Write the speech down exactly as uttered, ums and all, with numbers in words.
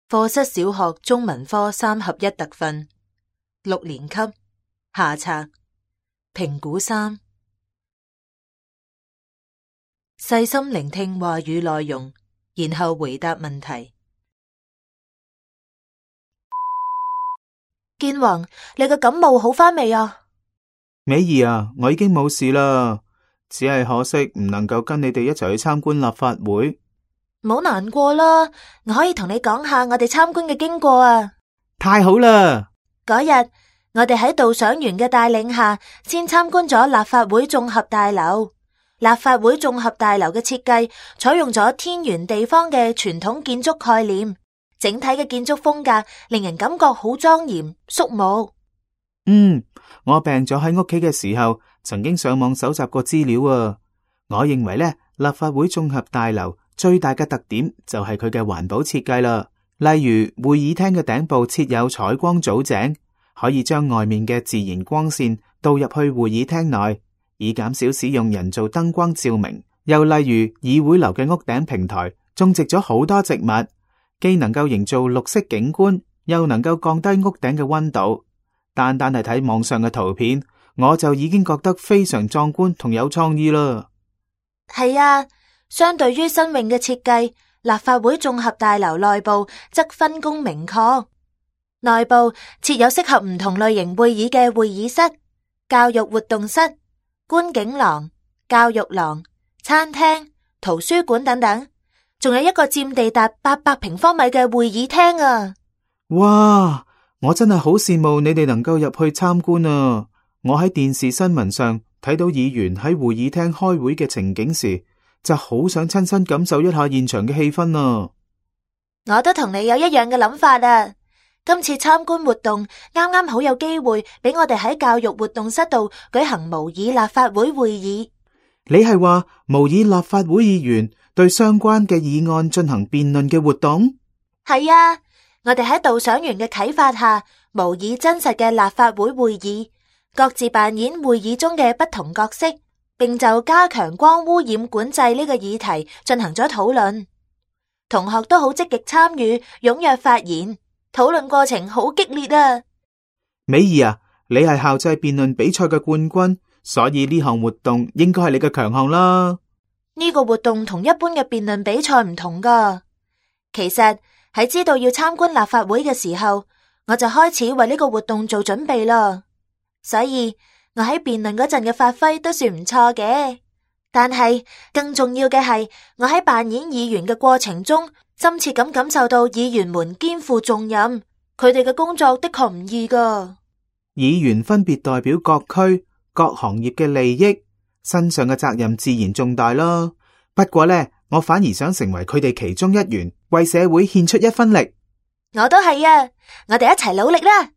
課室小學中文科三合一特訓，六年級下冊評估三，細心聆聽話語內容，然後回答問題。建宏，你個感冒好返未啊？美儀啊，我已經冇事啦，只係可惜唔能夠跟你哋一齊去參觀立法會。唔好難過啦，我可以同你講下我哋參觀嘅經過啊。太好啦！嗰日我哋喺導賞員嘅帶領下，先參觀咗立法會綜合大樓。立法會綜合大樓嘅設計採用咗天圓地方嘅傳統建築概念，整體嘅建築風格令人感覺好莊嚴肅穆。嗯，我病咗喺屋企嘅時候，曾經上網搜集過資料啊。我認為咧，立法會綜合大樓最大嘅特點就係佢嘅環保設計啦。例如會議廳嘅頂部設有採光藻井，可以將外面嘅自然光線導入去會議廳內，以減少使用人造燈光照明。又例如議會樓嘅屋頂平台種植咗好多植物，既能夠營造綠色景觀，又能夠降低屋頂嘅溫度。單單係睇網上嘅圖片，我就已經覺得非常壯觀同有創意啦。係啊，相對於新穎嘅設計，立法會綜合大樓內部則分工明確。內部設有適合唔同類型會議嘅會議室、教育活動室、觀景廊、教育廊、餐廳、圖書館等等，仲有一個佔地達八百平方米嘅會議廳啊！哇！我真係好羨慕你哋能夠入去參觀啊！我喺電視新聞上睇到議員喺會議廳開會嘅情景時，就好想親身感受一下現場嘅氣氛啊！我都同你有一樣嘅諗法啊！今次參觀活動啱啱好有機會俾我哋喺教育活動室度舉行模擬立法會會議。你係話模擬立法會議員對相關嘅議案進行辯論嘅活動？係啊！我哋喺導賞員嘅啟發下，模擬真實嘅立法會會議，各自扮演會議中嘅不同角色，並就加強光污染管制呢個議題進行咗討論。同學都好積極參與，踴躍發言，討論過程好激烈啊！美儀啊，你係校際辯論比賽嘅冠軍，所以呢項活動應該係你嘅強項啦。呢個活動同一般嘅辯論比賽唔同㗎，其實喺知道要參觀立法會嘅時候，我就開始為呢個活動做準備啦。所以我喺辯論嗰陣嘅發揮都算唔錯嘅。但係更重要嘅係，我喺扮演議員嘅過程中，深切咁感受到議員們肩負重任，佢哋嘅工作的確唔易㗎。議員分別代表各區各行業嘅利益，身上嘅責任自然重大啦。不過呢，我反而想成為佢哋其中一員，為社會獻出一分力。我都係啊，我哋一齊努力啦！